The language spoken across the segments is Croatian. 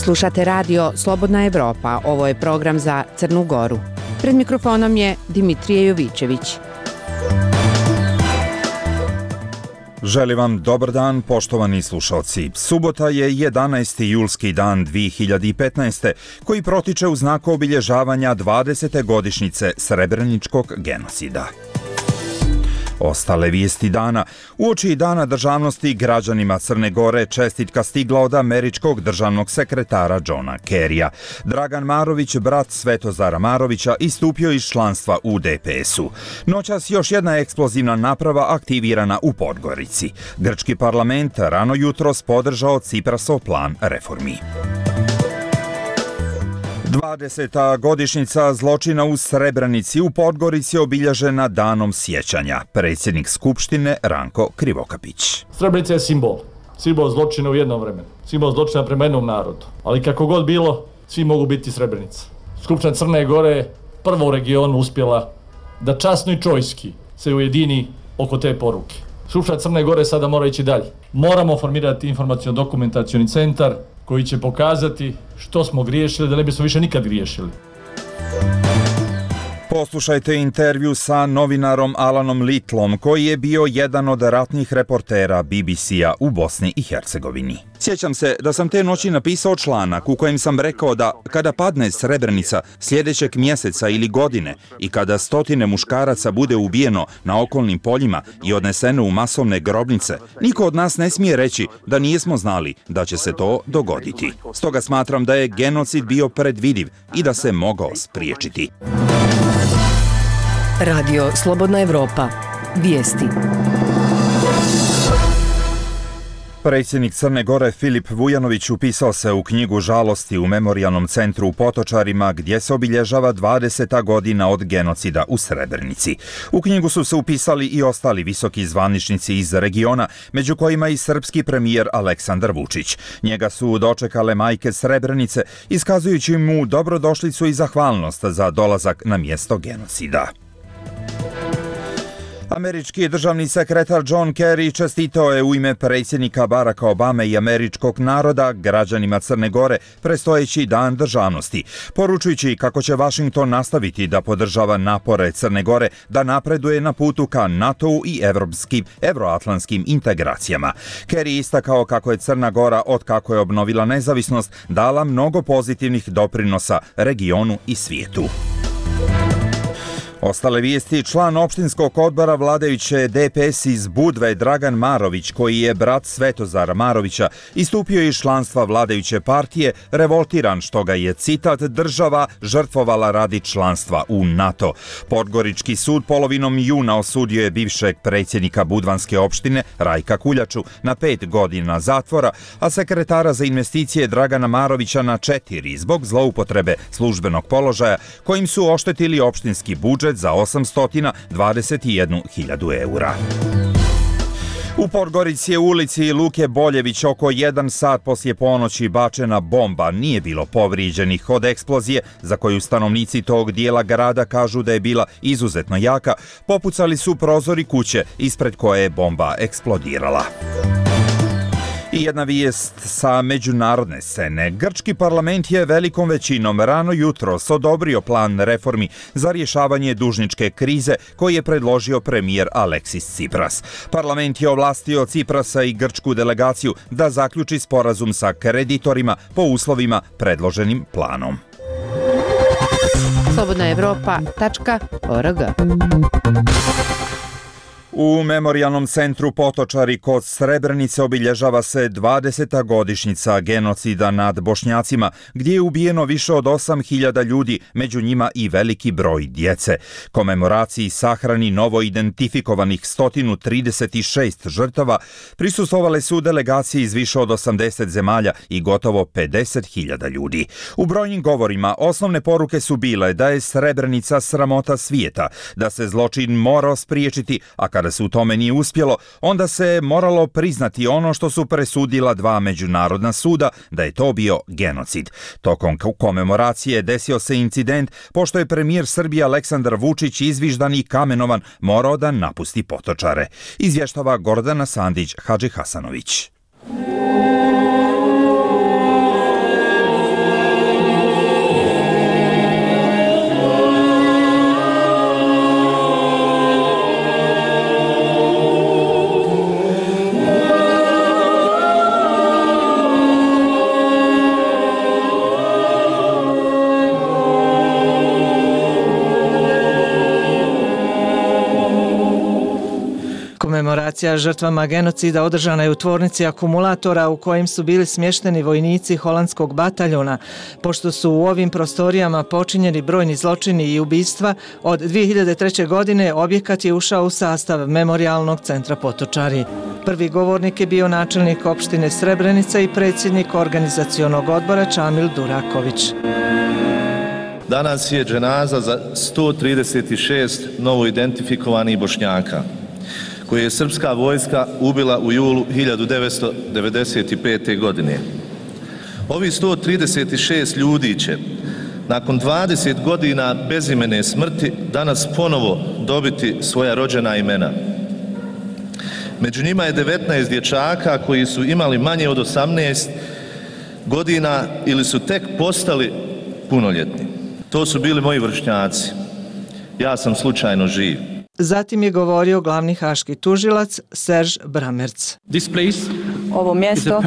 Slušate radio Slobodna Evropa, ovo je program za Crnu Goru. Pred mikrofonom je Dimitrije Jovićević. Želim vam dobar dan, poštovani slušalci. Subota je 11. julski dan 2015. koji protiče u znaku obilježavanja 20. godišnjice Srebreničkog genocida. Ostale vijesti dana. Uoči Dana državnosti građanima Crne Gore čestitka stigla od američkog državnog sekretara Johna Kerrya. Dragan Marović, brat Svetozara Marovića, istupio iz članstva u DPS-u. Noćas još jedna eksplozivna naprava aktivirana u Podgorici. Grčki parlament rano jutros podržao Ciprasov plan reformi. 20. godišnjica zločina u Srebrenici u Podgorici obilježena danom sjećanja. Predsjednik Skupštine Ranko Krivokapić. Srebrenica je simbol zločina u jednom vremenu, simbol zločina prema jednom narodu. Ali kako god bilo, svi mogu biti Srebrenica. Skupština Crne Gore je prvo u regionu uspjela da časno i čojski se ujedini oko te poruke. Skupština Crne Gore sada mora ići dalje. Moramo formirati informaciono-dokumentacioni centar koji će pokazati što smo griješili, da ne bismo više nikad griješili. Poslušajte intervju sa novinarom Alanom Litlom, koji je bio jedan od ratnih reportera BBC-a u Bosni i Hercegovini. Sjećam se da sam te noći napisao članak u kojem sam rekao da kada padne Srebrenica sljedećeg mjeseca ili godine i kada stotine muškaraca bude ubijeno na okolnim poljima i odneseno u masovne grobnice, niko od nas ne smije reći da nismo znali da će se to dogoditi. Stoga smatram da je genocid bio predvidiv i da se mogao spriječiti. Radio Slobodna Evropa. Vijesti. Predsjednik Crne Gore Filip Vujanović upisao se u knjigu žalosti u Memorijalnom centru u Potočarima gdje se obilježava 20. godina od genocida u Srebrenici. U knjigu su se upisali i ostali visoki zvaničnici iz regiona, među kojima i srpski premijer Aleksandar Vučić. Njega su dočekale majke Srebrenice, iskazujući mu dobrodošlicu i zahvalnost za dolazak na mjesto genocida. Američki državni sekretar John Kerry čestitao je u ime predsjednika Baracka Obame i američkog naroda građanima Crne Gore predstojeći Dan državnosti, poručujući kako će Washington nastaviti da podržava napore Crne Gore da napreduje na putu ka NATO-u i evroatlantskim integracijama. Kerry istakao kako je Crna Gora, od kako je obnovila nezavisnost, dala mnogo pozitivnih doprinosa regionu i svijetu. Ostale vijesti, član opštinskog odbora vladajuće DPS iz Budve Dragan Marović, koji je brat Svetozara Marovića, istupio iz članstva vladajuće partije, revoltiran što ga je, citat, država žrtvovala radi članstva u NATO. Podgorički sud polovinom juna osudio je bivšeg predsjednika Budvanske opštine Rajka Kuljaču na 5 godina zatvora, a sekretara za investicije Dragana Marovića na 4 zbog zloupotrebe službenog položaja kojim su oštetili opštinski budžet za 821.000 eura. U Podgorici je u ulici Luke Boljević oko 1 sat poslije ponoći bačena bomba. Nije bilo povrijeđenih od eksplozije, za koju stanovnici tog dijela grada kažu da je bila izuzetno jaka. Popucali su prozori kuće ispred koje je bomba eksplodirala. I jedna vijest sa međunarodne scene. Grčki parlament je velikom većinom rano jutros odobrio plan reformi za rješavanje dužničke krize koji je predložio premijer Aleksis Tsipras. Parlament je ovlastio Tsiprasa i grčku delegaciju da zaključi sporazum sa kreditorima po uslovima predloženim planom. slobodnaevropa.org. U Memorijalnom centru Potočari kod Srebrenice obilježava se 20. godišnjica genocida nad Bošnjacima, gdje je ubijeno više od 8.000 ljudi, među njima i veliki broj djece. Komemoraciji sahrani novo identifikovanih 136 žrtava prisustvovale su delegacije iz više od 80 zemalja i gotovo 50.000 ljudi. U brojnim govorima osnovne poruke su bile da je Srebrenica sramota svijeta, da se zločin morao spriječiti, a kada se u tome nije uspjelo, onda se moralo priznati ono što su presudila 2 međunarodna suda, da je to bio genocid. Tokom komemoracije desio se incident pošto je premijer Srbije Aleksandar Vučić izviždan i kamenovan morao da napusti Potočare. Izvještava Gordana Sandić Hadži Hasanović. Komemoracija žrtvama genocida održana je u tvornici akumulatora u kojim su bili smješteni vojnici holandskog bataljona. Pošto su u ovim prostorijama počinjeni brojni zločini i ubistva, od 2003. godine objekat je ušao u sastav Memorijalnog centra Potočari. Prvi govornik je bio načelnik opštine Srebrenica i predsjednik organizacionog odbora Čamil Duraković. Danas je dženaza za 136 novoidentifikovanih Bošnjaka, koje je srpska vojska ubila u julu 1995. godine. Ovi 136 ljudi će, nakon 20 godina bezimene smrti, danas ponovo dobiti svoja rođena imena. Među njima je 19 dječaka koji su imali manje od 18 godina ili su tek postali punoljetni. To su bili moji vršnjaci. Ja sam slučajno živ. Zatim je govorio glavni haški tužilac Serž Bramerc. Ovo mjesto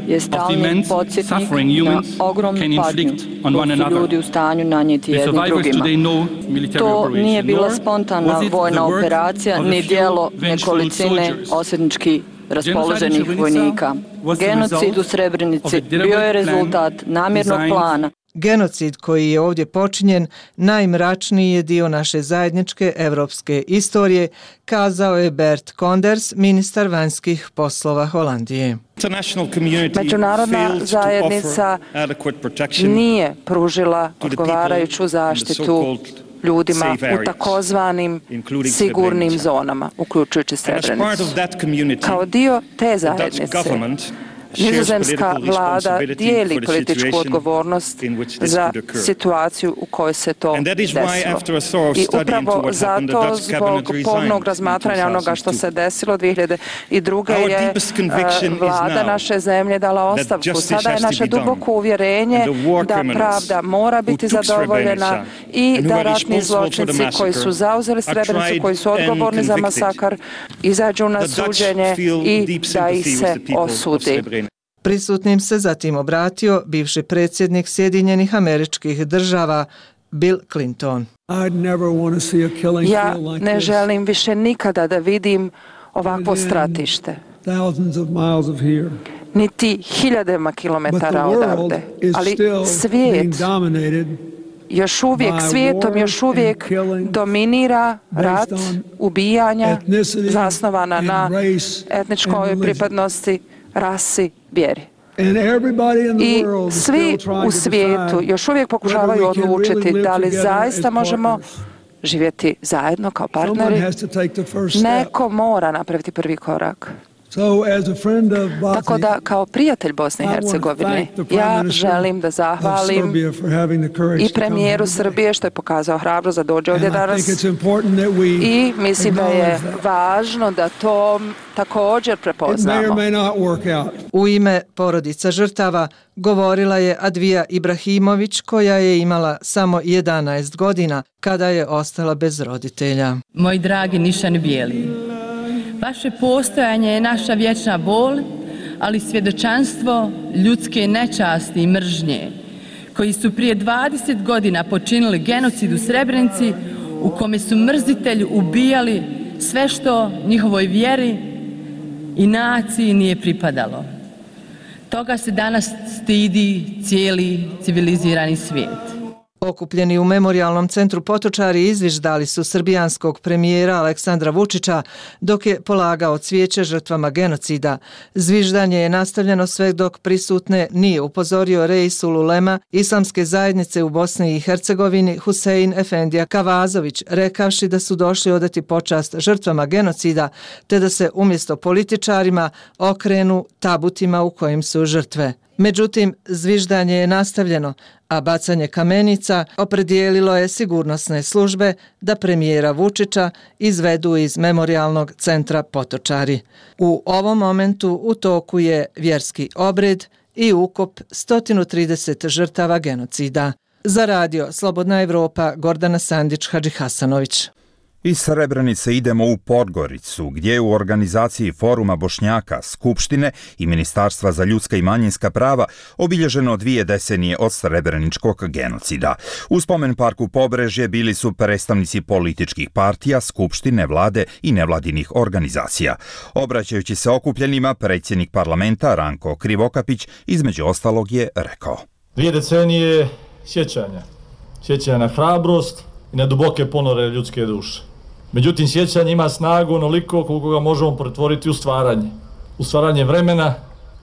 je stalni podsjetnik na ogromnu patnju koju su ljudi u stanju nanijeti jednim drugima. To nije bila spontana vojna operacija ni dijelo nekolicine osvetnički raspoloženih vojnika. Genocid u Srebrenici bio je rezultat namjernog plana. Genocid koji je ovdje počinjen najmračniji je dio naše zajedničke evropske istorije, kazao je Bert Koenders, ministar vanjskih poslova Holandije. Međunarodna zajednica nije pružila odgovarajuću zaštitu ljudima u takozvanim sigurnim zonama, uključujući Srebrenicu. Kao dio te zajednice, nizozemska vlada dijeli političku odgovornost za situaciju u kojoj se to desilo. I upravo zato, zbog pomnog razmatranja onoga što se desilo 2002. je vlada naše zemlje dala ostavku. Sada je naše duboko uvjerenje da pravda mora biti zadovoljena i da ratni zločinci koji su zauzeli Srebrenicu, koji su odgovorni za masakar, izađu na suđenje i da ih se osudi. Prisutnim se zatim obratio bivši predsjednik Sjedinjenih Američkih Država Bill Clinton. Ja ne želim više nikada da vidim ovakvo stratište, niti hiljadama kilometara odavde, ali svijetom još uvijek dominira rat, ubijanja zasnovana na etničkoj pripadnosti, rasi, vjeri. I svi u svijetu još uvijek pokušavaju odlučiti da li zaista možemo živjeti zajedno kao partneri. Neko mora napraviti prvi korak. Tako da, kao prijatelj Bosne i Hercegovine, ja želim da zahvalim i premijeru Srbije što je pokazao hrabrost da dođe ovdje danas i mislim da je važno da to također prepoznamo. U ime porodica žrtava govorila je Advija Ibrahimović, koja je imala samo 11 godina kada je ostala bez roditelja. Moji dragi nišani bijeli, vaše postojanje je naša vječna bol, ali svjedočanstvo ljudske nečasti i mržnje, koji su prije 20 godina počinili genocid u Srebrenici, u kome su mrzitelji ubijali sve što njihovoj vjeri i naciji nije pripadalo. Toga se danas stidi cijeli civilizirani svijet. Okupljeni u Memorijalnom centru Potočari izviždali su srbijanskog premijera Aleksandra Vučića dok je polagao cvijeće žrtvama genocida. Zviždanje je nastavljeno sve dok prisutne nije upozorio Reisul Ulema Islamske zajednice u Bosni i Hercegovini Husein Efendija Kavazović, rekavši da su došli odati počast žrtvama genocida te da se umjesto političarima okrenu tabutima u kojim su žrtve. Međutim, zviždanje je nastavljeno, a bacanje kamenica opredijelilo je sigurnosne službe da premijera Vučića izvedu iz Memorijalnog centra Potočari. U ovom momentu u toku je vjerski obred i ukop 130 žrtava genocida. Za radio Slobodna Evropa, Gordana Sandić, Hadži Hasanović. Iz Srebrenice idemo u Podgoricu, gdje je u organizaciji Foruma Bošnjaka, Skupštine i Ministarstva za ljudska i manjinska prava obilježeno 2 decenije od srebreničkog genocida. U spomen parku Pobrežje bili su predstavnici političkih partija, skupštine, vlade i nevladinih organizacija. Obraćajući se okupljenima, predsjednik parlamenta Ranko Krivokapić između ostalog je rekao: 2 decenije sjećanja na hrabrost i na duboke ponore ljudske duše. Međutim, sjećanje ima snagu onoliko koliko ga možemo pretvoriti u stvaranje vremena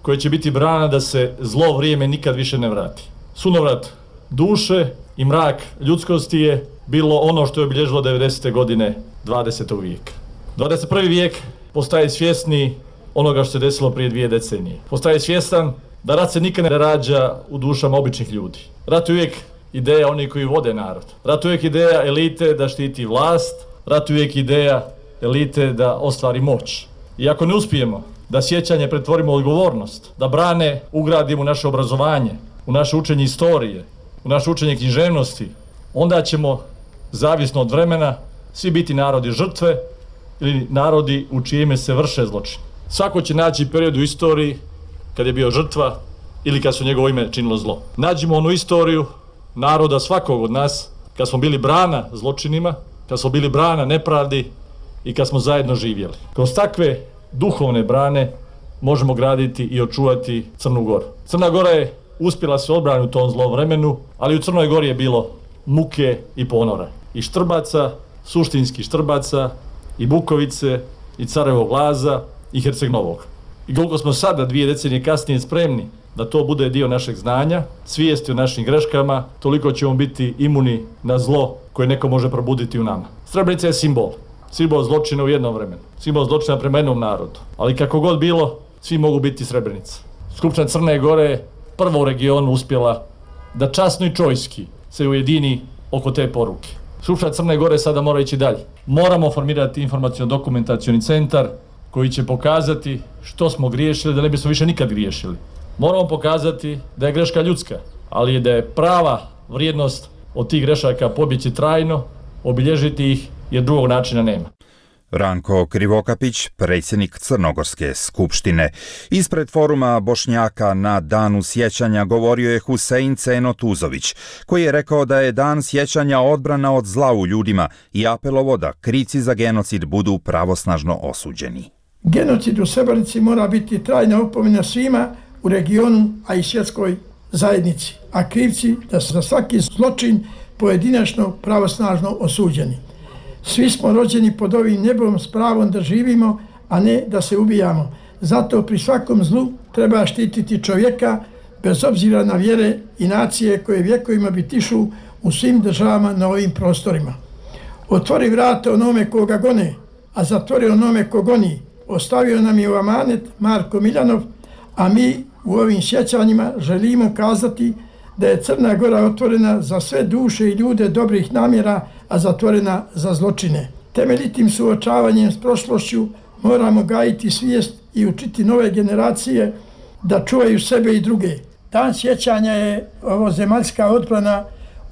koje će biti brana da se zlo vrijeme nikad više ne vrati. Sunovrat duše i mrak ljudskosti je bilo ono što je obilježilo 90. godine 20. vijeka. 21. vijek postaje svjesni onoga što se desilo prije 2 decenije. Postaje svjestan da rat se nikad ne rađa u dušama običnih ljudi. Rat je uvijek ideja onih koji vode narod. Rat je uvijek ideja elite da štiti vlast. Rat je uvijek ideja elite da ostvari moć. I ako ne uspijemo da sjećanje pretvorimo u odgovornost, da brane ugradimo u naše obrazovanje, u naše učenje istorije, u naše učenje književnosti, onda ćemo, zavisno od vremena, svi biti narodi žrtve ili narodi u čijime se vrše zločini. Svako će naći period u istoriji kad je bio žrtva ili kad su njegovo ime činilo zlo. Nađimo onu istoriju naroda svakog od nas kad smo bili brana zločinima, kad smo bili brana nepravdi i kad smo zajedno živjeli. Kroz takve duhovne brane možemo graditi i očuvati Crnu Goru. Crna Gora je uspjela se odbrani u tom zlom vremenu, ali u Crnoj Gori je bilo muke i ponora. I Štrbaca, suštinskih Štrbaca, i Bukovice, i Carevog Laza, i Herceg Novog. I koliko smo sada, 2 decenije kasnije, spremni da to bude dio našeg znanja, svijesti o našim greškama, toliko ćemo biti imuni na zlo koje neko može probuditi u nama. Srebrenica je simbol zločina u jednom vremenu, simbol zločina prema jednom narodu. Ali kako god bilo, svi mogu biti Srebrenica. Skupština Crne Gore je prvo u regionu uspjela da časno i čojski se ujedini oko te poruke. Skupština Crne Gore sada mora ići dalje. Moramo formirati informaciono-dokumentacioni centar koji će pokazati što smo griješili, da ne bismo više nikad griješili. Moramo pokazati da je greška ljudska, ali je da je prava vrijednost od tih grešaka pobjeći trajno, obilježiti ih jer drugog načina nema. Ranko Krivokapić, predsjednik Crnogorske skupštine. Ispred Foruma Bošnjaka na Danu sjećanja govorio je Husein Ceno Tuzović, koji je rekao da je Dan sjećanja odbrana od zla u ljudima i apelovo da krivci za genocid budu pravosnažno osuđeni. Genocid u Srebrenici mora biti trajna opomena svima u regionu, a i svjetskoj zajednici, a krivci da su za svaki zločin pojedinačno pravosnažno osuđeni. Svi smo rođeni pod ovim nebom s pravom da živimo, a ne da se ubijamo. Zato pri svakom zlu treba štititi čovjeka bez obzira na vjere i nacije koje vjekovima bitišu u svim državama na ovim prostorima. Otvori vrata onome koga gone, a zatvori onome ko goni. Ostavio nam je u amanet Marko Miljanov, a mi u ovim sjećanjima želimo kazati da je Crna Gora otvorena za sve duše i ljude dobrih namjera, a zatvorena za zločine. Temeljitim suočavanjem s prošlošću moramo gajiti svijest i učiti nove generacije da čuvaju sebe i druge. Dan sjećanja je ovozemaljska odbrana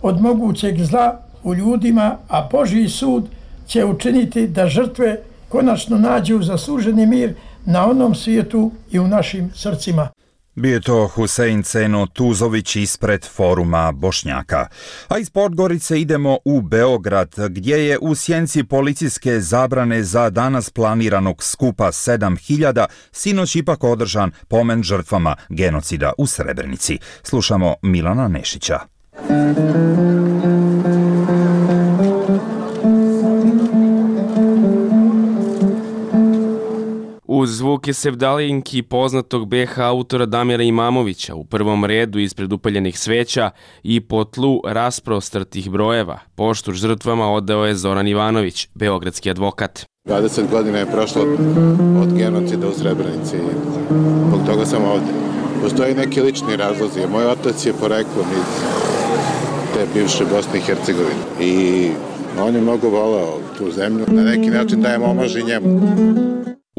od mogućeg zla u ljudima, a Božji sud će učiniti da žrtve konačno nađu zasluženi mir na onom svijetu i u našim srcima. Bio je to Husein Ceno Tuzović ispred Foruma Bošnjaka. A iz Podgorice idemo u Beograd, gdje je u sjenci policijske zabrane za danas planiranog skupa 7000 sinoć ipak održan pomen žrtvama genocida u Srebrenici. Slušamo Milana Nešića. Uz zvuke sevdalinki poznatog BH autora Damira Imamovića u prvom redu ispred upaljenih sveća i po tlu rasprostrtih brojeva poštu žrtvama odao je Zoran Ivanović, beogradski advokat. 20 godina je prošlo od genocida u Srebrenici i zbog toga sam ovdje. Postoji neki lični razlozi. Moj otac je poreklom iz te bivše Bosne i Hercegovine i on je mnogo voleo tu zemlju. Na neki način dajem omaž i njemu.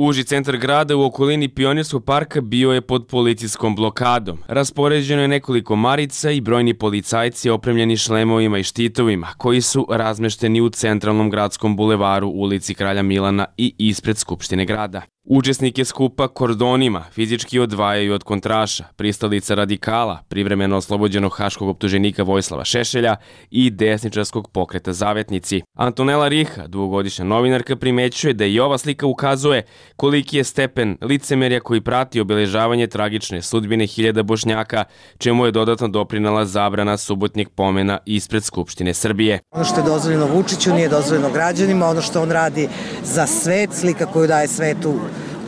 Uži centar grada u okolini Pionirskog parka bio je pod policijskom blokadom. Raspoređeno je nekoliko marica i brojni policajci opremljeni šlemovima i štitovima, koji su razmešteni u centralnom gradskom bulevaru, ulici Kralja Milana i ispred Skupštine grada. Učesnike skupa kordonima fizički odvajaju od kontraša, pristalica radikala, privremeno oslobođenog haškog optuženika Vojislava Šešelja i desničarskog pokreta Zavetnici. Antonela Riha, dugogodišnja novinarka, primećuje da i ova slika ukazuje koliki je stepen licemerja koji prati obeležavanje tragične sudbine hiljada Bošnjaka, čemu je dodatno doprinela zabrana subotnjeg pomena ispred Skupštine Srbije. Ono što je dozvoljeno Vučiću nije dozvoljeno građanima, ono što on radi za svet, slika koju daje svetu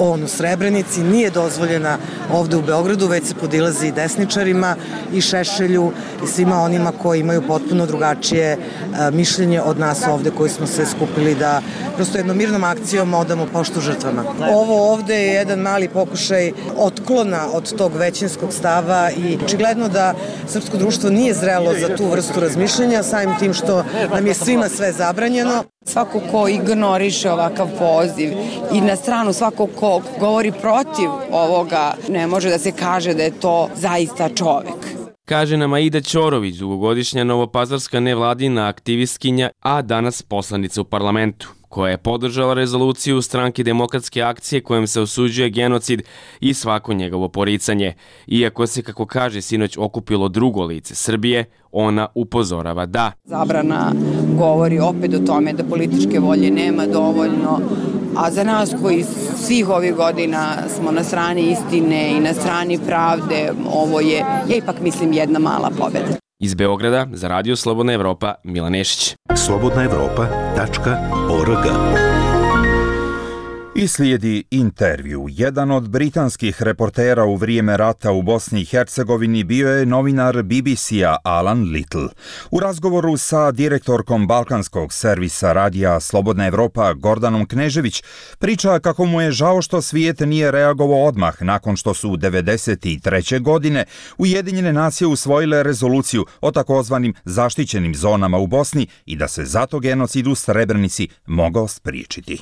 on u Srebrenici, nije dozvoljena ovde u Beogradu, već se podilazi desničarima i Šešelju i svima onima koji imaju potpuno drugačije mišljenje od nas ovde koji smo se skupili da prosto jednom mirnom akcijom odamo poštu žrtvama. Ovo ovde je jedan mali pokušaj otklona od tog većinskog stava i očigledno da srpsko društvo nije zrelo za tu vrstu razmišljanja, samim tim što nam je svima sve zabranjeno. Svako ko ignoriše ovakav poziv i na stranu svako ko govori protiv ovoga, ne može da se kaže da je to zaista čovek. Kaže nam Aida Ćorović, dugogodišnja novopazarska nevladina aktivistkinja, a danas poslanica u parlamentu, koja je podržala rezoluciju Stranke demokratske akcije kojom se osuđuje genocid i svako njegovo poricanje. Iako se, kako kaže, sinoć okupilo drugo lice Srbije, ona upozorava da zabrana govori opet o tome da političke volje nema dovoljno, a za nas koji svih ovih godina smo na strani istine i na strani pravde, ovo je, ja ipak mislim, jedna mala pobjeda. Iz Beograda za Radio Slobodna Evropa, Milan Nešić. slobodnaevropa.org. I slijedi intervju. Jedan od britanskih reportera u vrijeme rata u Bosni i Hercegovini bio je novinar BBC-a Alan Little. U razgovoru sa direktorkom balkanskog servisa radija Slobodna Evropa Gordanom Knežević priča kako mu je žao što svijet nije reagovao odmah nakon što su 1993. godine Ujedinjene nacije usvojile rezoluciju o takozvanim zaštićenim zonama u Bosni i da se zato genocid u Srebrenici mogao spriječiti.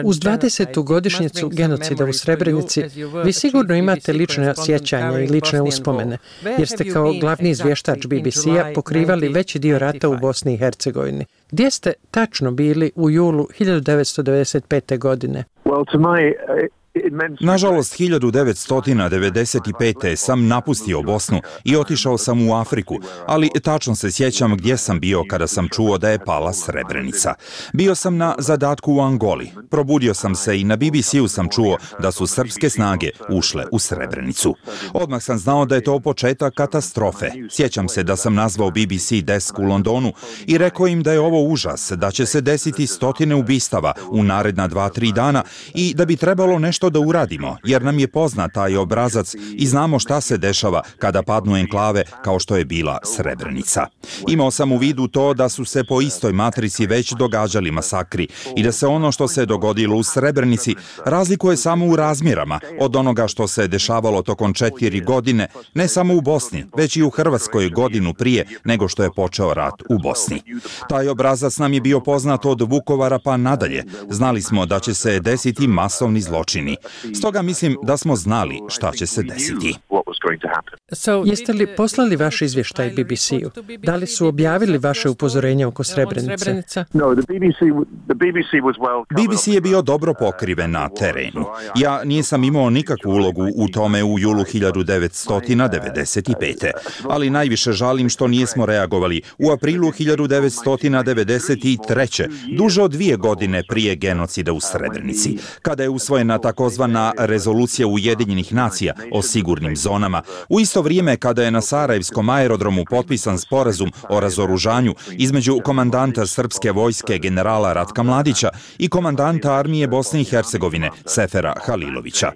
Uz 20. godišnjicu genocida u Srebrenici vi sigurno imate lične sjećanja i lične uspomene, jer ste kao glavni izvještač BBC-a pokrivali veći dio rata u Bosni i Hercegovini. Gdje ste tačno bili u julu 1995. godine? Nažalost, 1995. sam napustio Bosnu i otišao sam u Afriku, ali tačno se sjećam gdje sam bio kada sam čuo da je pala Srebrenica. Bio sam na zadatku u Angoli. Probudio sam se i na BBC-u sam čuo da su srpske snage ušle u Srebrenicu. Odmah sam znao da je to početak katastrofe. Sjećam se da sam nazvao BBC desk u Londonu i rekao im da je ovo užas, da će se desiti stotine ubistava u naredna 2-3 dana i da bi trebalo nešto da uradimo, jer nam je poznat taj obrazac i znamo šta se dešava kada padnu enklave kao što je bila Srebrenica. Imao sam u vidu to da su se po istoj matrici već događali masakri i da se ono što se dogodilo u Srebrenici razlikuje samo u razmjerama od onoga što se dešavalo tokom 4 godine, ne samo u Bosni, već i u Hrvatskoj godinu prije nego što je počeo rat u Bosni. Taj obrazac nam je bio poznat od Vukovara pa nadalje. Znali smo da će se desiti masovni zločini. Stoga mislim da smo znali šta će se desiti. Jeste li poslali vaš izvještaj BBC-u? Da li su objavili vaše upozorenje oko Srebrenice? BBC je bio dobro pokriven na terenu. Ja nisam imao nikakvu ulogu u tome u julu 1995. Ali najviše žalim što nismo reagovali u aprilu 1993. duže od 2 godine prije genocida u Srebrenici, kada je usvojena takozvana rezolucija Ujedinjenih nacija o sigurnim zonama, u isto vrijeme kada je na Sarajevskom aerodromu potpisan sporazum o razoružanju između komandanta srpske vojske generala Ratka Mladića i komandanta armije Bosne i Hercegovine Sefera Halilovića.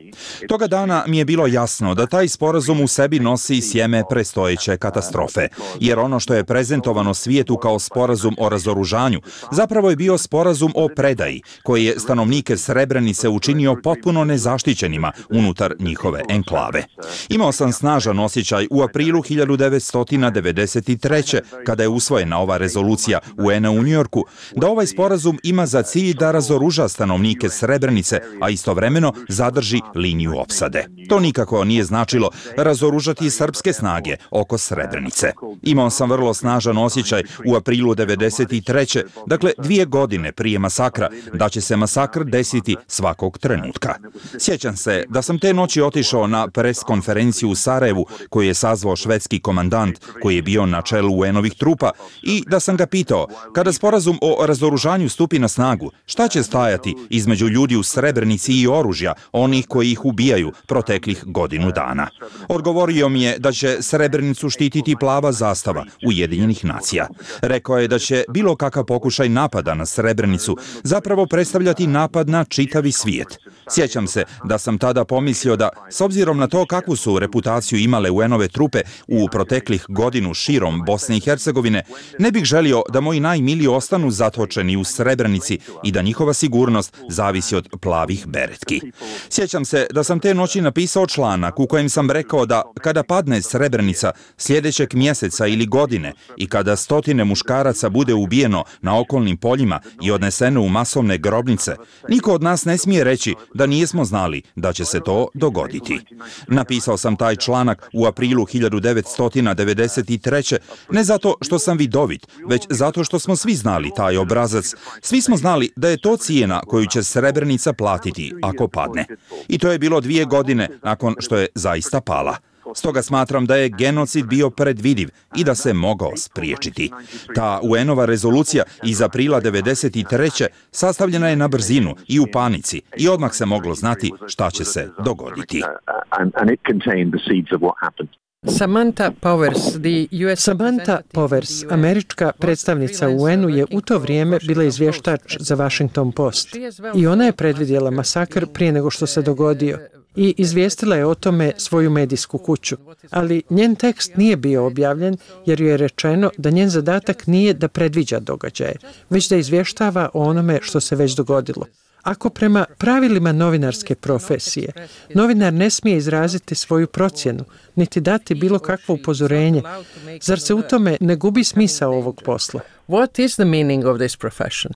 Toga dana mi je bilo jasno da taj sporazum u sebi nosi sjeme prestojeće katastrofe, jer ono što je prezentovano svijetu kao sporazum o razoružanju zapravo je bio sporazum o predaji, koji je stanovnike Srebrenice učinio potpuno nezaštićenima unutar njihove enklave. Imao sam snažan osjećaj u aprilu 1993. kada je usvojena ova rezolucija UN-a u Njujorku, da ovaj sporazum ima za cilj da razoruža stanovnike Srebrenice, a istovremeno zadrži liniju opsade. To nikako nije značilo razoružati srpske snage oko Srebrenice. Imao sam vrlo snažan osjećaj u aprilu 1993. Dakle 2 godine prije masakra, da će se masakr desiti svakog trenutka. Sjećam se da sam te noći otišao na pres konferenciju u Sarajevu koju je sazvao švedski komandant koji je bio na čelu UN-ovih trupa i da sam ga pitao, kada sporazum o razoružanju stupi na snagu, šta će stajati između ljudi u Srebrenici i oružja, onih koji ih ubijaju proteklih godinu dana. Odgovorio mi je da će Srebrenicu štititi plava zastava Ujedinjenih nacija. Rekao je da će bilo kakav pokušaj napada na Srebrenicu zapravo predstavljati napad na čitavi svijet. Sjećam se da sam tada pomislio da, s obzirom na to kakvu su reputaciju imale UN-ove trupe u proteklih godinu širom Bosne i Hercegovine, ne bih želio da moji najmiliji ostanu zatočeni u Srebrenici i da njihova sigurnost zavisi od plavih beretki. Sjećam se da sam te noći napisao članak u kojem sam rekao da kada padne Srebrenica sljedećeg mjeseca ili godine i kada stotine muškaraca bude ubijeno na okolnim poljima i odneseno u masovne grobnice, niko od nas ne smije reći da nismo znali da će se to dogoditi. Napisao sam taj članak u aprilu 1993. ne zato što sam vidovit, već zato što smo svi znali taj obrazac. Svi smo znali da je to cijena koju će Srebrenica platiti ako padne. I to je bilo 2 godine nakon što je zaista pala. Stoga smatram da je genocid bio predvidiv i da se mogao spriječiti. Ta UN-ova rezolucija iz aprila 1993. sastavljena je na brzinu i u panici i odmah se moglo znati šta će se dogoditi. Samantha Powers, američka predstavnica u UN-u, je u to vrijeme bila izvještač za Washington Post. I ona je predvidjela masakr prije nego što se dogodio i izvijestila je o tome svoju medijsku kuću. Ali njen tekst nije bio objavljen jer joj je rečeno da njen zadatak nije da predviđa događaje, već da izvještava o onome što se već dogodilo. Ako prema pravilima novinarske profesije novinar ne smije izraziti svoju procjenu, niti dati bilo kakvo upozorenje, zar se u tome ne gubi smisao ovog posla? What is the meaning of this profession?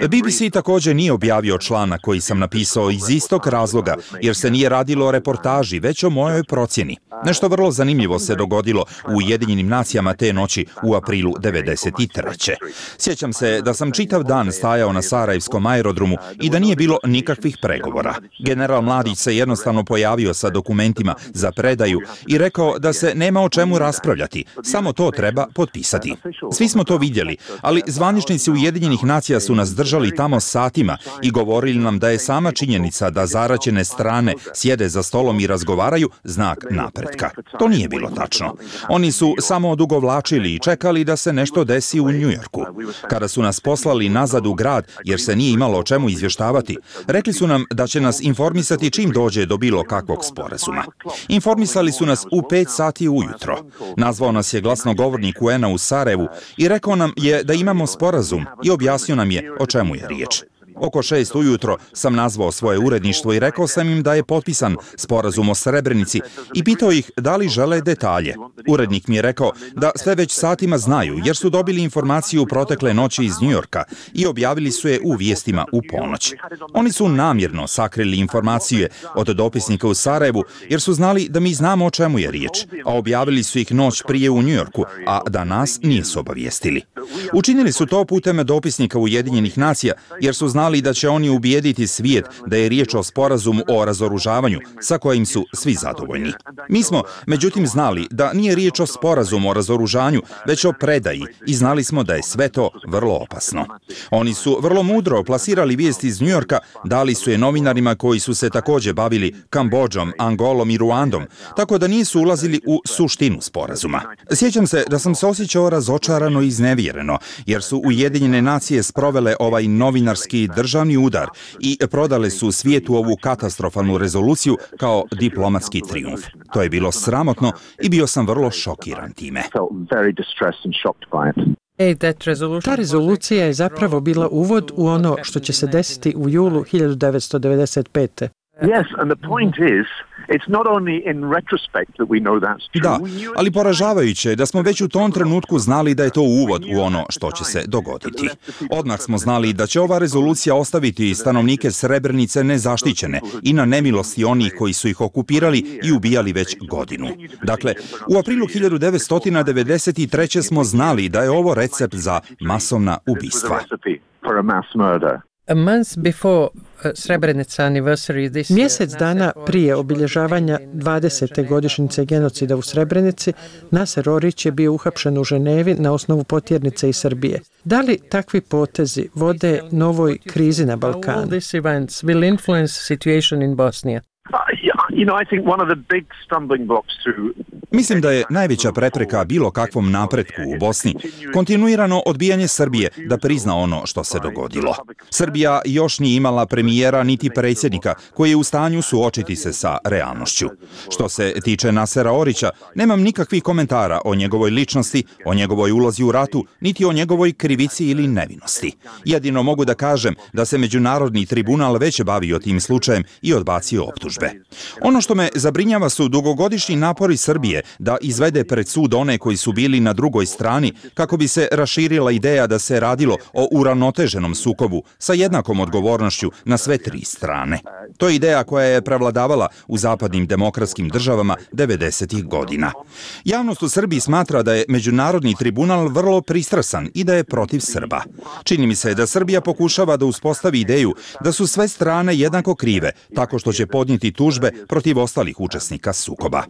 BBC također nije objavio članak koji sam napisao iz istog razloga, jer se nije radilo o reportaži, već o mojoj procjeni. Nešto vrlo zanimljivo se dogodilo u Ujedinjenim nacijama te noći u aprilu 1993. Sjećam se da sam čitav dan stajao na Sarajevskom aerodromu i da nije bilo nikakvih pregovora. General Mladić se jednostavno pojavio sa dokumentima za predaju i rekao da se nema o čemu raspravljati, samo to treba potpisati. Svi smo to vidjeli, ali zvaničnici Ujedinjenih nacija su nas držali tamo satima i govorili nam da je sama činjenica da zaraćene strane sjede za stolom i razgovaraju znak napretka. To nije bilo tačno. Oni su samo odugovlačili i čekali da se nešto desi u Njujorku. Kada su nas poslali nazad u grad, jer se nije imalo o čemu izvještavati, rekli su nam da će nas informisati čim dođe do bilo kakvog sporazuma. Informisali su nas u 5 sati ujutro. Nazvao nas je glasnogovornik UN-a u Sarajevu i rekao nam je da imamo sporazum i objasnio nam je o čemu je riječ. Oko 6 ujutro sam nazvao svoje uredništvo i rekao sam im da je potpisan sporazum o Srebrenici i pitao ih da li žele detalje. Urednik mi je rekao da sve već satima znaju jer su dobili informaciju protekle noći iz Njujorka i objavili su je u vijestima u ponoć. Oni su namjerno sakrili informacije od dopisnika u Sarajevu jer su znali da mi znamo o čemu je riječ, a objavili su ih noć prije u Njujorku, a da nas nisu obavijestili. Učinili su to putem dopisnika Ujedinjenih nacija jer su znali da će oni ubijediti svijet da je riječ o sporazumu o razoružavanju sa kojim su svi zadovoljni. Mi smo, međutim, znali da nije riječ o sporazumu o razoružanju, već o predaji i znali smo da je sve to vrlo opasno. Oni su vrlo mudro plasirali vijesti iz Njujorka, dali su je novinarima koji su se također bavili Kambodžom, Angolom i Ruandom, tako da nisu ulazili u suštinu sporazuma. Sjećam se da sam se osjećao razočarano i iznevjereno, jer su Ujedinjene nacije sprovele ovaj novinarski državni udar i prodale su svijetu ovu katastrofalnu rezoluciju kao diplomatski trijumf. To je bilo sramotno i bio sam vrlo šokiran time. Ta rezolucija je zapravo bila uvod u ono što će se desiti u julu 1995. Da, ali poražavajuće je da smo već u tom trenutku znali da je to uvod u ono što će se dogoditi. Odmah smo znali da će ova rezolucija ostaviti stanovnike Srebrenice nezaštićene i na nemilosti onih koji su ih okupirali i ubijali već godinu. Dakle, u aprilu 1993. smo znali da je ovo recept za masovna ubistva. Mjesec dana prije obilježavanja 20. godišnjice genocida u Srebrenici, Naser Orić je bio uhapšen u Ženevi na osnovu potjernice iz Srbije. Da li takvi potezi vode novoj krizi na Balkanu? Mislim da je najveća prepreka bilo kakvom napretku u Bosni kontinuirano odbijanje Srbije da prizna ono što se dogodilo. Srbija još nije imala premijera niti predsjednika koji je u stanju suočiti se sa realnošću. Što se tiče Nasera Orića, nemam nikakvih komentara o njegovoj ličnosti, o njegovoj ulozi u ratu, niti o njegovoj krivici ili nevinosti. Jedino mogu da kažem da se Međunarodni tribunal već bavio tim slučajem i odbacio optužbe. Ono što me zabrinjava su dugogodišnji napori Srbije da izvede pred sud one koji su bili na drugoj strani kako bi se raširila ideja da se radilo o uravnoteženom sukobu sa jednakom odgovornošću na sve tri strane. To je ideja koja je prevladavala u zapadnim demokratskim državama 90-ih godina. Javnost u Srbiji smatra da je Međunarodni tribunal vrlo pristrasan i da je protiv Srba. Čini mi se da Srbija pokušava da uspostavi ideju da su sve strane jednako krive, tako što će podnijeti tužbe protiv ostalih učesnika sukoba.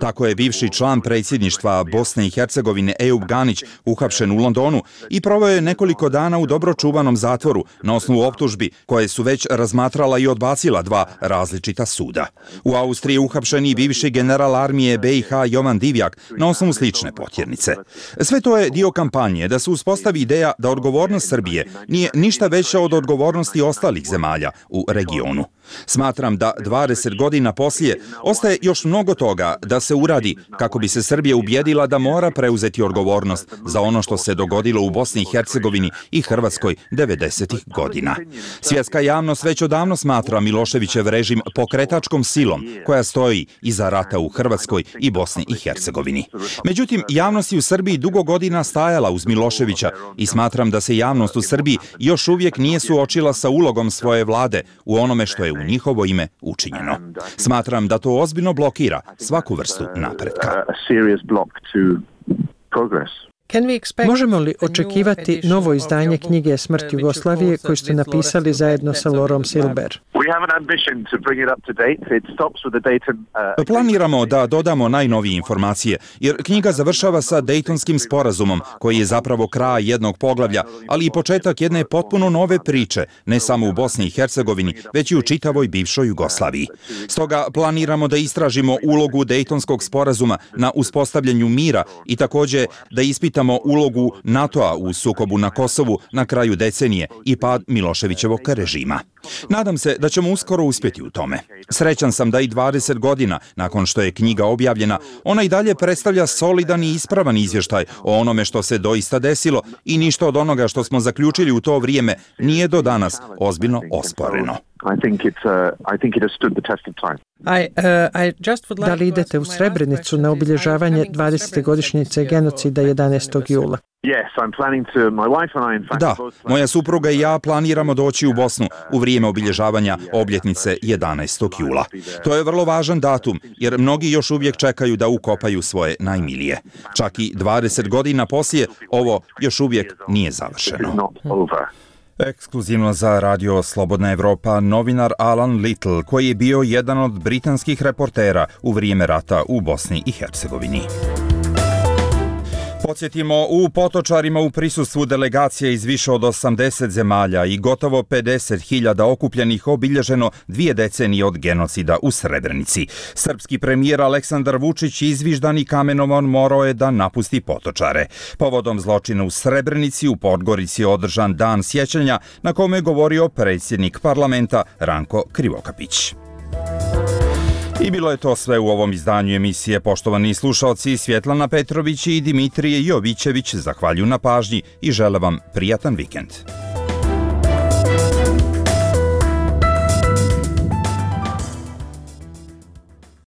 Tako je bivši član predsjedništva Bosne i Hercegovine Ejup Ganić uhapšen u Londonu i proveo je nekoliko dana u dobro čuvanom zatvoru na osnovu optužbi koje su već razmatrala i odbacila dva različita suda. U Austriji je uhapšen i bivši general armije BiH Jovan Divjak na osnovu slične potjernice. Sve to je dio kampanje da se uspostavi ideja da odgovornost Srbije nije ništa veća od odgovornosti ostalih zemalja u regionu. Smatram da 20 godina poslije ostaje još mnogo toga da se uradi kako bi se Srbija ubjedila da mora preuzeti odgovornost za ono što se dogodilo u Bosni i Hercegovini i Hrvatskoj 90-ih godina. Svjetska javnost već odavno smatra Miloševićev režim pokretačkom silom koja stoji iza rata u Hrvatskoj i Bosni i Hercegovini. Međutim, javnost je u Srbiji dugo godina stajala uz Miloševića i smatram da se javnost u Srbiji još uvijek nije suočila sa ulogom svoje vlade u onome što je u njihovo ime učinjeno. Smatram da to ozbiljno blokira svaku vrstu napretka. Možemo li očekivati novo izdanje knjige Smrt Jugoslavije koju ste napisali zajedno sa Lorom Silber? Planiramo da dodamo najnovije informacije, jer knjiga završava sa Dejtonskim sporazumom, koji je zapravo kraj jednog poglavlja, ali i početak jedne potpuno nove priče, ne samo u Bosni i Hercegovini, već i u čitavoj bivšoj Jugoslaviji. Stoga planiramo da istražimo ulogu Dejtonskog sporazuma na uspostavljanju mira i također da ispitamo ulogu NATO-a u sukobu na Kosovu na kraju decenije i pad Miloševićevog režima. Nadam se da ćemo uskoro uspjeti u tome. Srećan sam da i 20 godina nakon što je knjiga objavljena, ona i dalje predstavlja solidan i ispravan izvještaj o onome što se doista desilo i ništa od onoga što smo zaključili u to vrijeme nije do danas ozbiljno osporeno. Da li idete u Srebrenicu na obilježavanje 20. godišnjice genocida 11. jula? Da, moja supruga i ja planiramo doći u Bosnu u vrijeme obilježavanja obljetnice 11. jula. To je vrlo važan datum jer mnogi još uvijek čekaju da ukopaju svoje najmilije. Čak i 20 godina poslije ovo još uvijek nije završeno. Ekskluzivno za Radio Slobodna Evropa novinar Alan Little, koji je bio jedan od britanskih reportera u vrijeme rata u Bosni i Hercegovini. Podsjetimo, u Potočarima u prisustvu delegacije iz više od 80 zemalja i gotovo 50.000 okupljenih obilježeno 2 decenije od genocida u Srebrenici. Srpski premijer Aleksandar Vučić izviždan i kamenovan morao je da napusti Potočare. Povodom zločina u Srebrenici u Podgorici je održan dan sjećanja na kome je govorio predsjednik parlamenta Ranko Krivokapić. I bilo je to sve u ovom izdanju emisije. Poštovani slušalci, Svjetlana Petrović i Dimitrije Jovićević zahvaljuju na pažnji i žele vam prijatan vikend.